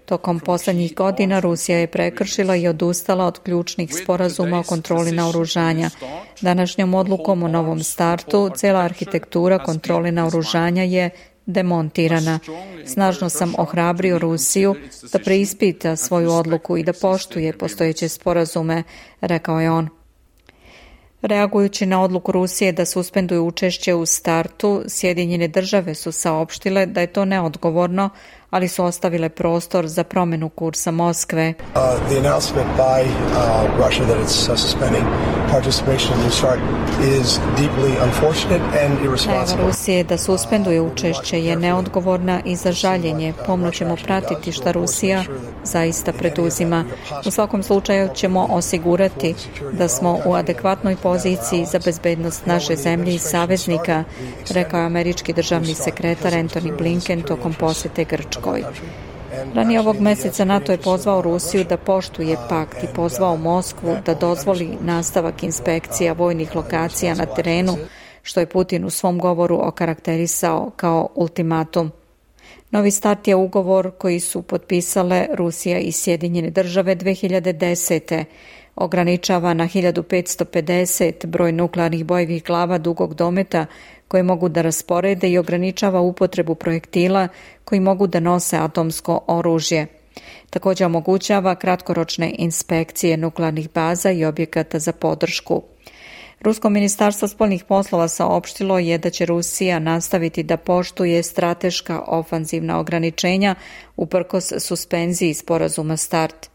Tokom posljednjih godina Rusija je prekršila i odustala od ključnih sporazuma o kontroli naoružanja. Današnjom odlukom o novom startu cijela arhitektura kontrole naoružanja je demontirana. Snažno sam ohrabrio Rusiju da preispita svoju odluku i da poštuje postojeće sporazume, rekao je on. Reagujući na odluku Rusije da suspenduju učešće u startu, Sjedinjene države su saopštile da je to neodgovorno, ali su ostavile prostor za promjenu kursa Moskve. Uh, the announcement by uh, Russia that it's uh, suspending participation in the START is deeply unfortunate and irresponsible. Najava Rusije da suspenduje učešće je neodgovorna i za žaljenje. Pomno ćemo pratiti šta Rusija zaista preduzima. U svakom slučaju ćemo osigurati da smo u adekvatnoj poziciji za bezbednost naše zemlje i saveznika, rekao je američki državni sekretar Antony Blinken tokom posjete Grčkoj. Ranije ovog mjeseca NATO je pozvao Rusiju da poštuje pakt i pozvao Moskvu da dozvoli nastavak inspekcija vojnih lokacija na terenu, što je Putin u svom govoru okarakterisao kao ultimatum. Novi start je ugovor koji su potpisale Rusija i Sjedinjene države dve hiljade desete. Ograničava na hiljadu petsto pedeset broj nuklearnih bojevih glava dugog dometa koje mogu da rasporede i ograničava upotrebu projektila koji mogu da nose atomsko oružje. Također omogućava kratkoročne inspekcije nuklearnih baza i objekata za podršku. Rusko ministarstvo spoljnih poslova saopštilo je da će Rusija nastaviti da poštuje strateška ofanzivna ograničenja uprkos suspenziji sporazuma START.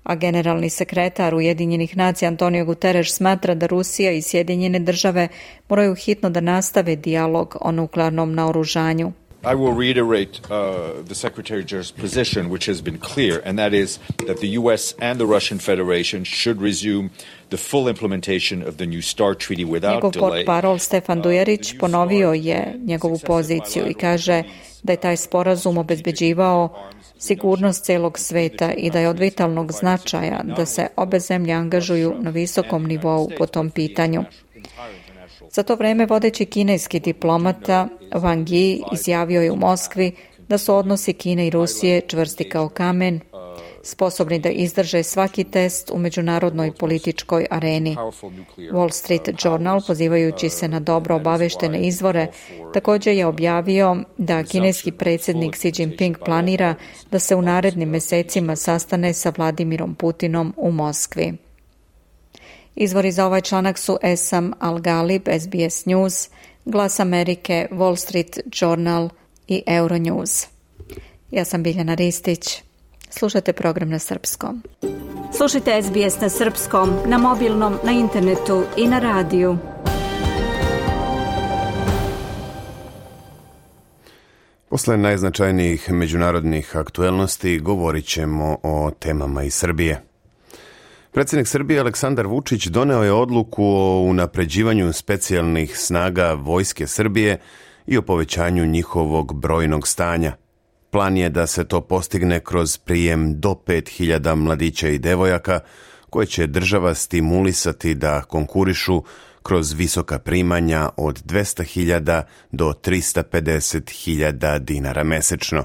A generalni sekretar Ujedinjenih nacija Antonio Guterres smatra da Rusija i Sjedinjene države moraju hitno da nastave dijalog o nuklearnom naoružanju. I will reiterate uh, the Secretary-General's position, which has been clear, and that is that the U S and the Russian Federation should resume the full implementation of the new START treaty without Njegov delay. portparol Stefan Dujerić ponovio je njegovu poziciju i kaže da je taj sporazum obezbeđivao sigurnost celog sveta i da je od vitalnog značaja da se obe zemlje angažuju na visokom nivou po tom pitanju. Za to vreme vodeći kineski diplomata Wang Yi izjavio je u Moskvi da su odnosi Kine i Rusije čvrsti kao kamen, sposobni da izdrže svaki test u međunarodnoj političkoj areni. Wall Street Journal, pozivajući se na dobro obaveštene izvore, također je objavio da kineski predsjednik Xi Jinping planira da se u narednim mjesecima sastane sa Vladimirom Putinom u Moskvi. Izvori za ovaj članak su Esam Al-Galib, S B S News, Glas Amerike, Wall Street Journal i Euronews. Ja sam Biljana Ristić. Slušajte program na srpskom. Slušajte S B S na srpskom, na mobilnom, na internetu i na radiju. Posle najznačajnijih međunarodnih aktuelnosti govorit ćemo o temama iz Srbije. Predsjednik Srbije Aleksandar Vučić doneo je odluku o unapređivanju specijalnih snaga Vojske Srbije i o povećanju njihovog brojnog stanja. Plan je da se to postigne kroz prijem do pet hiljada mladića i devojaka koje će država stimulisati da konkurišu kroz visoka primanja od dvesta hiljada do trista pedeset hiljada dinara mesečno.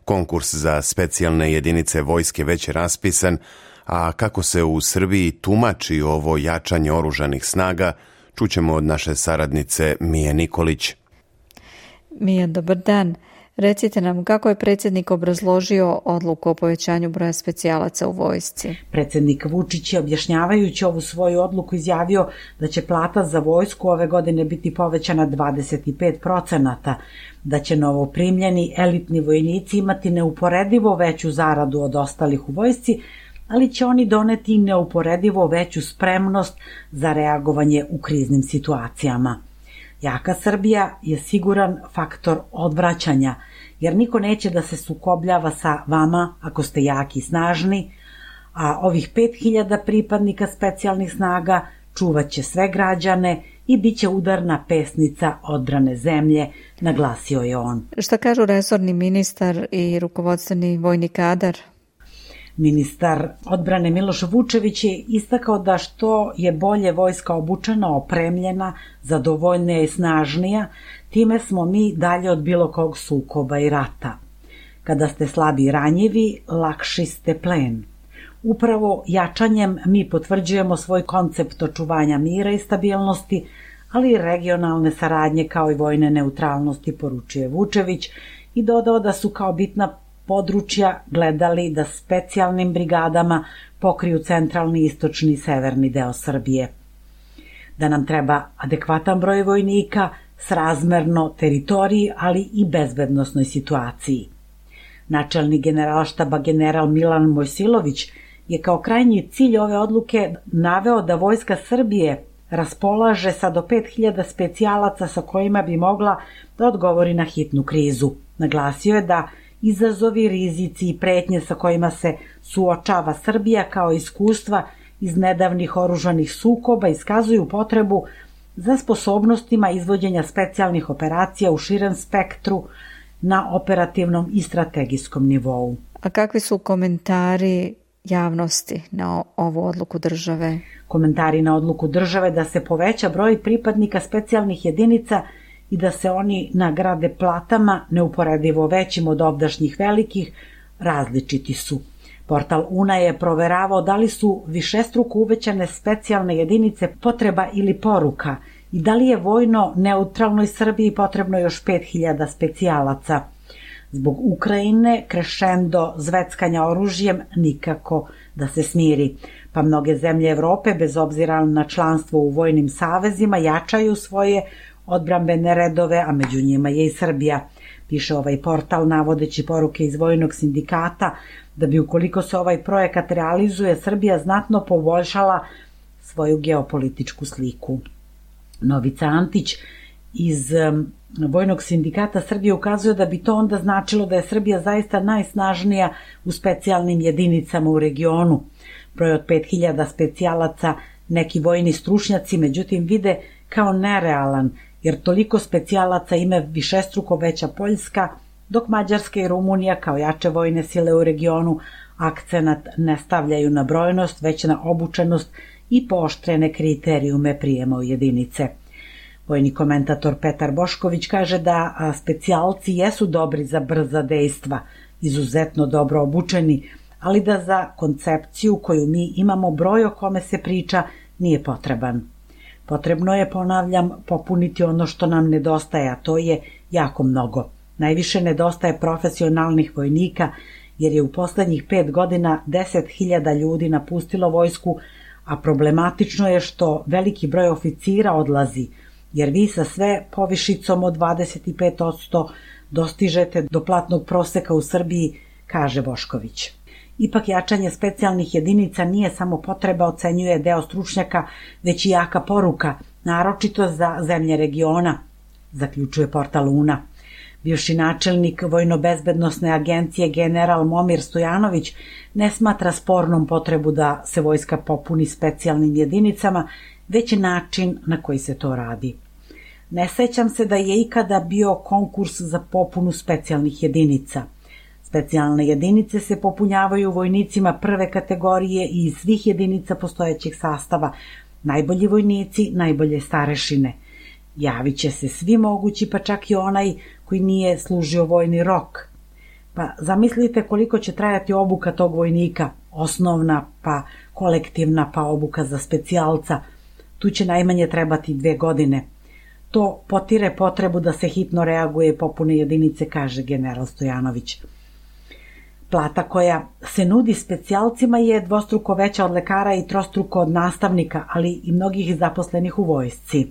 Konkurs za specijalne jedinice vojske već je raspisan, A kako se u Srbiji tumači ovo jačanje oružanih snaga, čućemo od naše saradnice Mije Nikolić. Mija, dobar dan. Recite nam kako je predsjednik obrazložio odluku o povećanju broja specijalaca u vojsci. Predsjednik Vučić je objašnjavajući ovu svoju odluku izjavio da će plata za vojsku ove godine biti povećana dvadeset pet procenata, da će novoprimljeni elitni vojnici imati neuporedivo veću zaradu od ostalih u vojsci, ali će oni doneti neuporedivo veću spremnost za reagovanje u kriznim situacijama. Jaka Srbija je siguran faktor odvraćanja, jer niko neće da se sukobljava sa vama ako ste jaki i snažni, a ovih pet hiljada pripadnika specijalnih snaga čuvat će sve građane i bit će udarna pesnica odbrane zemlje, naglasio je on. Šta kažu resorni ministar i rukovodstveni vojni kadar? Ministar odbrane Miloš Vučević je istakao da što je bolje vojska obučena, opremljena, zadovoljnija i snažnija, time smo mi dalje od bilo kog sukoba i rata. Kada ste slabi i ranjivi, lakši ste plen. Upravo jačanjem mi potvrđujemo svoj koncept očuvanja mira i stabilnosti, ali i regionalne saradnje kao i vojne neutralnosti, poručuje Vučević i dodao da su kao bitna područja gledali da specijalnim brigadama pokriju centralni, istočni i severni deo Srbije. Da nam treba adekvatan broj vojnika srazmerno teritoriji, ali i bezbednosnoj situaciji. Načelnik generalštaba general Milan Mojsilović je kao krajnji cilj ove odluke naveo da Vojska Srbije raspolaže sa do pet hiljada specijalaca sa kojima bi mogla da odgovori na hitnu krizu. Naglasio je da izazovi, rizici i pretnje sa kojima se suočava Srbija kao iskustva iz nedavnih oružanih sukoba iskazuju potrebu za sposobnostima izvođenja specijalnih operacija u širem spektru na operativnom i strategijskom nivou. A kakvi su komentari javnosti na ovu odluku države? Komentari na odluku države da se poveća broj pripadnika specijalnih jedinica i da se oni nagrade platama neuporedivo većim od ovdašnjih velikih, različiti su. Portal U N A je proveravao da li su višestruko uvećane specijalne jedinice potreba ili poruka i da li je vojno neutralnoj Srbiji potrebno još pet hiljada specijalaca. Zbog Ukrajine krešendo zveckanja oružjem nikako da se smiri, pa mnoge zemlje Evrope, bez obzira na članstvo u vojnim savezima, jačaju svoje odbrambene redove, a među njima je i Srbija. Piše ovaj portal navodeći poruke iz vojnog sindikata da bi ukoliko se ovaj projekat realizuje, Srbija znatno poboljšala svoju geopolitičku sliku. Novica Antić iz Vojnog sindikata Srbije ukazuje da bi to onda značilo da je Srbija zaista najsnažnija u specijalnim jedinicama u regionu. Broj od pet hiljada specijalaca neki vojni stručnjaci međutim vide kao nerealan, jer toliko specijalaca ima višestruko veća Poljska, dok Mađarska i Rumunija kao jače vojne sile u regionu akcenat ne stavljaju na brojnost, već na obučenost i pooštrene kriterijume prijema u jedinice. Vojni komentator Petar Bošković kaže da specijalci jesu dobri za brza dejstva, izuzetno dobro obučeni, ali da za koncepciju koju mi imamo broj o kome se priča nije potreban. Potrebno je, ponavljam, popuniti ono što nam nedostaje, a to je jako mnogo. Najviše nedostaje profesionalnih vojnika, jer je u poslednjih pet godina deset hiljada ljudi napustilo vojsku, a problematično je što veliki broj oficira odlazi, jer vi sa sve povišicom od dvadeset pet posto dostižete do platnog proseka u Srbiji, kaže Bošković. Ipak jačanje specijalnih jedinica nije samo potreba, ocenjuje deo stručnjaka, već i jaka poruka, naročito za zemlje regiona, zaključuje portal U N A. Bivši načelnik Vojno-bezbednosne agencije general Momir Stojanović ne smatra spornom potrebu da se vojska popuni specijalnim jedinicama, već način na koji se to radi. Ne sećam se da je ikada bio konkurs za popunu specijalnih jedinica. Specijalne jedinice se popunjavaju vojnicima prve kategorije i iz svih jedinica postojećeg sastava. Najbolji vojnici, najbolje starešine. Javit će se svi mogući, pa čak i onaj koji nije služio vojni rok. Pa zamislite koliko će trajati obuka tog vojnika, osnovna pa kolektivna pa obuka za specijalca. Tu će najmanje trebati dve godine. To potire potrebu da se hitno reaguje i popune jedinice, kaže general Stojanović. Plata koja se nudi specijalcima je dvostruko veća od lekara i trostruko od nastavnika, ali i mnogih zaposlenih u vojsci.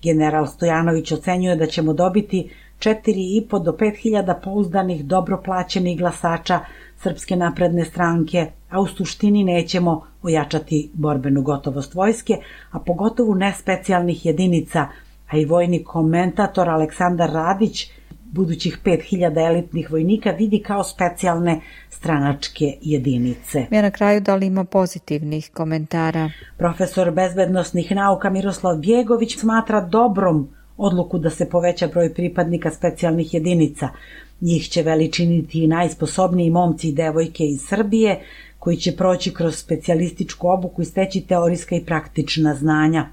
General Stojanović ocenjuje da ćemo dobiti četiri i po do pet hiljada pouzdanih, dobro plaćenih glasača Srpske napredne stranke, a u suštini nećemo ojačati borbenu gotovost vojske, a pogotovo ne specijalnih jedinica, a i vojni komentator Aleksandar Radić budućih pet hiljada elitnih vojnika vidi kao specijalne stranačke jedinice. Ja na kraju, da li ima pozitivnih komentara? Profesor bezbednosnih nauka Miroslav Bjegović smatra dobrom odluku da se poveća broj pripadnika specijalnih jedinica. Njih će veličiniti i najsposobniji momci i devojke iz Srbije, koji će proći kroz specijalističku obuku i steći teorijska i praktična znanja.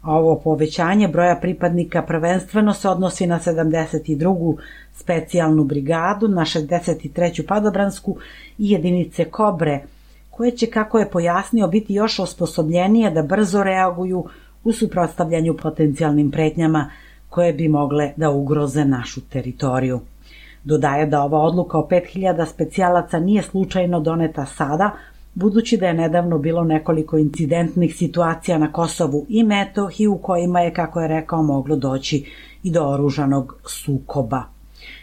A ovo povećanje broja pripadnika prvenstveno se odnosi na sedamdeset drugu specijalnu brigadu, na šezdeset treću padobransku i jedinice Kobre, koje će, kako je pojasnio, biti još osposobljenije da brzo reaguju u suprotstavljanju potencijalnim pretnjama koje bi mogle da ugroze našu teritoriju. Dodaje da ova odluka o pet hiljada specijalaca nije slučajno doneta sada, budući da je nedavno bilo nekoliko incidentnih situacija na Kosovu i Metohiji u kojima je, kako je rekao, moglo doći i do oružanog sukoba.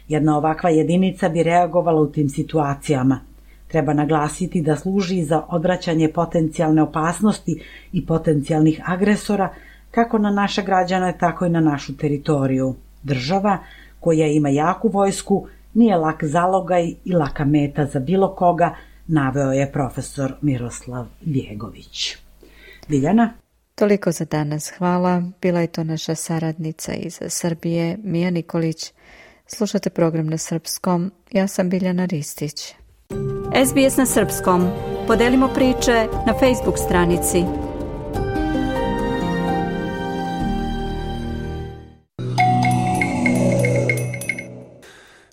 Jedna ovakva jedinica bi reagovala u tim situacijama. Treba naglasiti da služi za odvraćanje potencijalne opasnosti i potencijalnih agresora kako na naše građane, tako i na našu teritoriju. Država koja ima jaku vojsku nije lak zalogaj i laka meta za bilo koga, naveo je profesor Miroslav Bjegović. Biljana? Toliko za danas. Hvala. Bila je to naša saradnica iz Srbije, Mija Nikolić. Slušate program na srpskom. Ja sam Biljana Ristić. S B S na srpskom. Podelimo priče na Facebook stranici.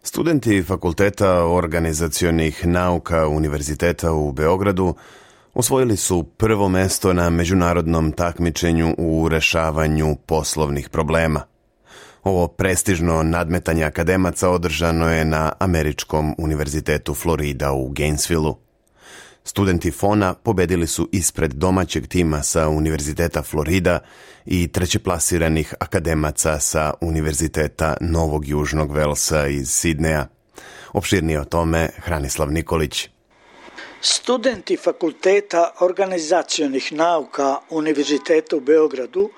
Studenti Fakulteta organizacionih nauka Univerziteta u Beogradu osvojili su prvo mesto na međunarodnom takmičenju u rešavanju poslovnih problema. Ovo prestižno nadmetanje akademaca održano je na Američkom univerzitetu Florida u Gainesvillu. Studenti Fona pobedili su ispred domaćeg tima sa Univerziteta Florida i trećeplasiranih akademaca sa Univerziteta Novog Južnog Velsa iz Sidneja. Opširnije o tome Hranislav Nikolić. Studenti Fakulteta organizacionih nauka Univerziteta u Beogradu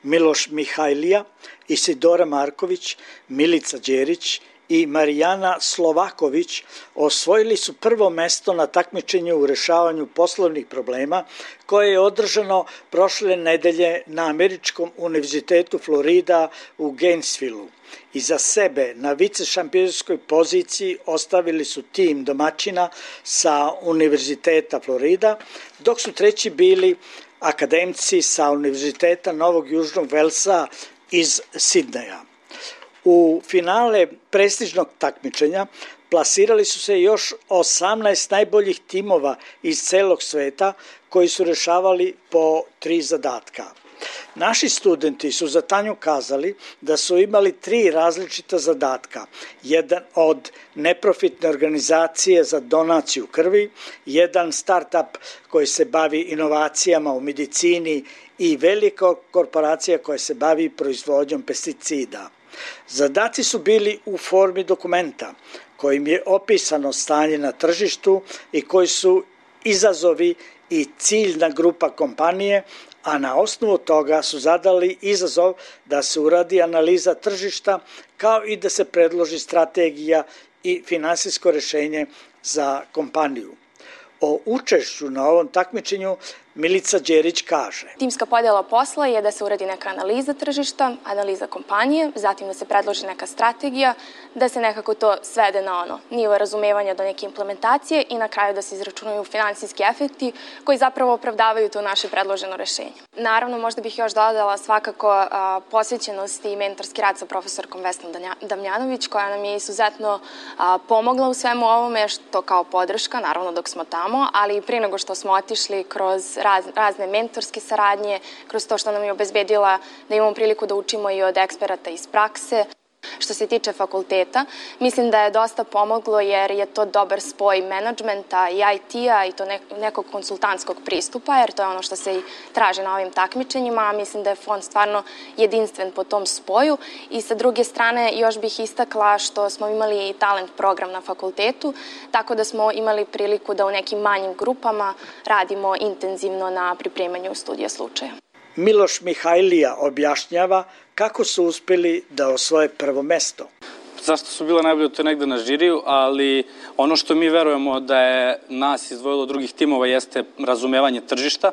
Miloš Mihajlija, Isidora Marković, Milica Đerić i Marijana Slovaković osvojili su prvo mesto na takmičenju u rešavanju poslovnih problema koje je održano prošle nedelje na Američkom univerzitetu Florida u Gainesvillu. Iza sebe na vicešampionskoj poziciji ostavili su tim domaćina sa Univerziteta Florida, dok su treći bili akademci sa Univerziteta Novog Južnog Velsa iz Sidneja. U finale prestižnog takmičenja plasirali su se još osamnaest najboljih timova iz celog sveta koji su rešavali po tri zadatka. Naši studenti su za Tanju kazali da su imali tri različita zadatka. Jedan od neprofitne organizacije za donaciju krvi, jedan start-up koji se bavi inovacijama u medicini i velika korporacija koja se bavi proizvodnjom pesticida. Zadaci su bili u formi dokumenta kojim je opisano stanje na tržištu i koji su izazovi i ciljna grupa kompanije, a na osnovu toga su zadali izazov da se uradi analiza tržišta kao i da se predloži strategija i finansijsko rešenje za kompaniju. O učešću na ovom takmičenju Milica Đerić kaže. Timska podjela posla je da se uradi neka analiza tržišta, analiza kompanije, zatim da se predloži neka strategija, da se nekako to svede na ono nivo razumevanja do neke implementacije i na kraju da se izračunaju finansijski efekti koji zapravo opravdavaju to naše predloženo rešenje. Naravno, možda bih još dodala svakako a, posvećenost i mentorski rad sa profesorkom Vesnom Damjanović, koja nam je izuzetno a, pomogla u svemu ovome, što kao podrška, naravno dok smo tamo, ali i prije nego što smo otišli kroz raz, razne mentorske saradnje, kroz to što nam je obezbedila da imamo priliku da učimo i od eksperata iz prakse. Što se tiče fakulteta, mislim da je dosta pomoglo jer je to dobar spoj menadžmenta i I T-a i to nekog konsultantskog pristupa, jer to je ono što se i traži na ovim takmičenjima, a mislim da je fond stvarno jedinstven po tom spoju. I sa druge strane još bih istakla što smo imali i talent program na fakultetu, tako da smo imali priliku da u nekim manjim grupama radimo intenzivno na pripremanju studija slučaja. Miloš Mihajlija objašnjava kako su uspeli da osvoje prvo mesto. Zašto su bila najbolje, to je negde na žiriju, ali ono što mi verujemo da je nas izdvojilo od drugih timova jeste razumevanje tržišta,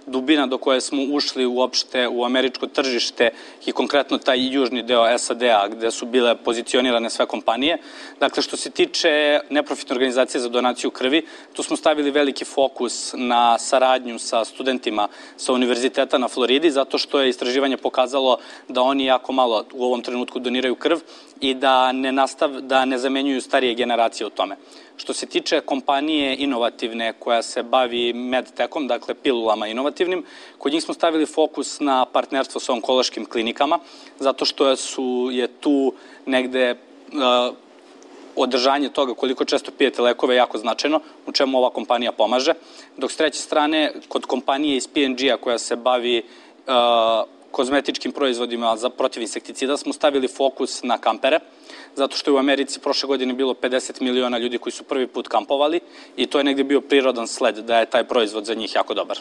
dubina do koje smo ušli uopšte u američko tržište i konkretno taj južni deo S A D-a gde su bile pozicionirane sve kompanije. Dakle, što se tiče neprofitne organizacije za donaciju krvi, tu smo stavili veliki fokus na saradnju sa studentima sa univerziteta na Floridi, zato što je istraživanje pokazalo da oni jako malo u ovom trenutku doniraju krv i da ne, nastav, da ne zamenjuju starije generacije u tome. Što se tiče kompanije inovativne koja se bavi medtekom, dakle pilulama inovativnim, kod njih smo stavili fokus na partnerstvo sa onkološkim klinikama, zato što su, je tu negde uh, održanje toga koliko često pijete lekove jako značajno, u čemu ova kompanija pomaže. Dok s treće strane, kod kompanije iz P and G-a koja se bavi uh, kozmetičkim proizvodima za protiv insekticida smo stavili fokus na kampere, zato što je u Americi prošle godine bilo pedeset miliona ljudi koji su prvi put kampovali i to je negde bio prirodan sled da je taj proizvod za njih jako dobar.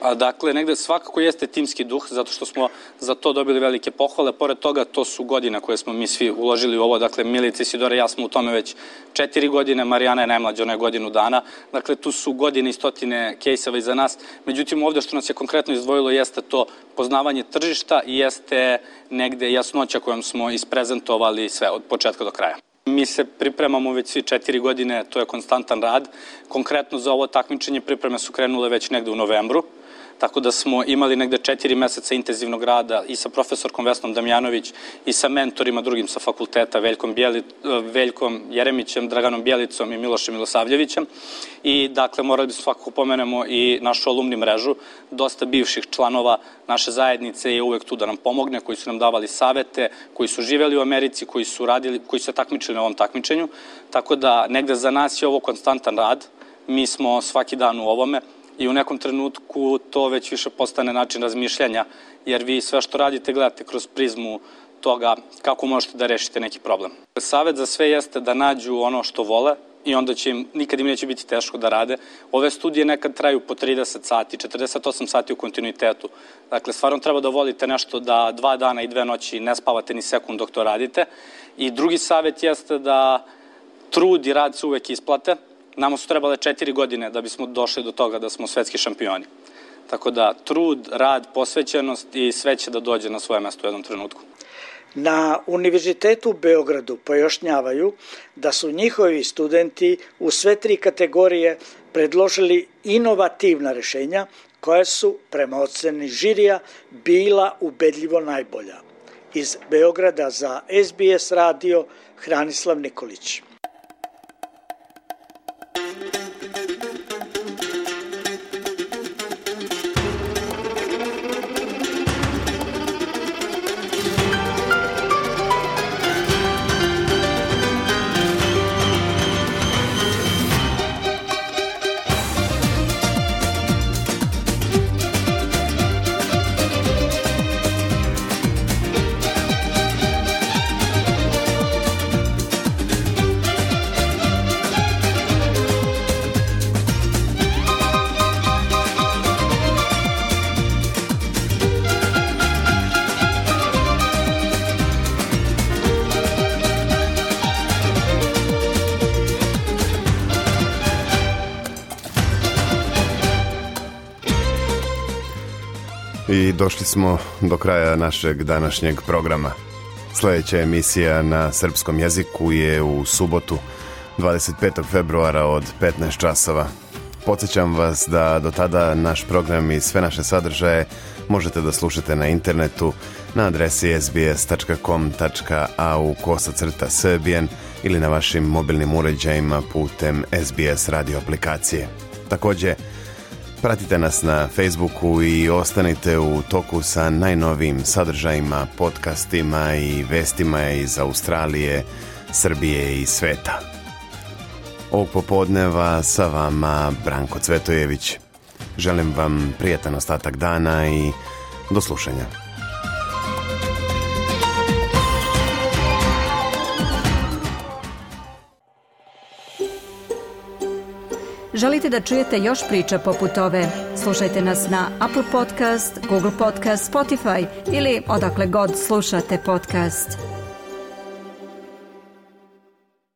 A dakle, negde svakako jeste timski duh, zato što smo za to dobili velike pohvale. Pored toga, to su godine koje smo mi svi uložili u ovo. Dakle, Milica, Isidora i ja smo u tome već četiri godine, Marijana je najmlađa, ona je godinu dana. Dakle, tu su godine i stotine kejseva iza nas. Međutim, ovde što nas je konkretno izdvojilo jeste to poznavanje tržišta i jeste negde jasnoća kojom smo isprezentovali sve od početka do kraja. Mi se pripremamo već svi četiri godine, to je konstantan rad. Konkretno za ovo takmičenje pripreme su krenule već negde u novembru, tako da smo imali negde četiri meseca intenzivnog rada i sa profesorkom Vesnom Damjanović i sa mentorima drugim sa fakulteta, Veljkom, Bjeli, Veljkom Jeremićem, Draganom Bjelicom i Milošem Milosavljevićem. I dakle, morali bi svakako pomenemo i našu alumni mrežu. Dosta bivših članova naše zajednice je uvek tu da nam pomogne, koji su nam davali savete, koji su živeli u Americi, koji su radili, koji su se takmičili na ovom takmičenju. Tako da negde za nas je ovo konstantan rad. Mi smo svaki dan u ovome. I u nekom trenutku to već više postane način razmišljanja, jer vi sve što radite gledate kroz prizmu toga kako možete da rešite neki problem. Savet za sve jeste da nađu ono što vole i onda će im, nikad im neće biti teško da rade. Ove studije nekad traju po trideset sati, četrdeset osam sati u kontinuitetu. Dakle, stvarno treba da volite nešto da dva dana i dve noći ne spavate ni sekund dok to radite. I drugi savet jeste da trud i rad se uvek isplate. Nama su trebale četiri godine da bismo došli do toga da smo svetski šampioni. Tako da trud, rad, posvećenost i sve će da dođe na svoje mesto u jednom trenutku. Na Univerzitetu u Beogradu pojašnjavaju da su njihovi studenti u sve tri kategorije predložili inovativna rešenja koja su, prema oceni žirija, bila ubedljivo najbolja. Iz Beograda za S B S radio, Hranislav Nikolić. I došli smo do kraja našeg današnjeg programa. Sljedeća emisija na srpskom jeziku je u subotu dvadeset petog februara od petnaest časova. Podsjećam vas da do tada naš program i sve naše sadržaje možete da slušate na internetu na adresi sbs tačka com tačka a u kosacrta srbijan ili na vašim mobilnim uređajima putem S B S radio aplikacije. Također, pratite nas na Facebooku i ostanite u toku sa najnovijim sadržajima, podcastima i vestima iz Australije, Srbije i sveta. Ovog popodneva sa vama Branko Cvetojević. Želim vam prijatan ostatak dana i do slušanja. Želite da čujete još priča poput ove? Slušajte nas na Apple Podcast, Google Podcast, Spotify ili odakle god slušate podcast.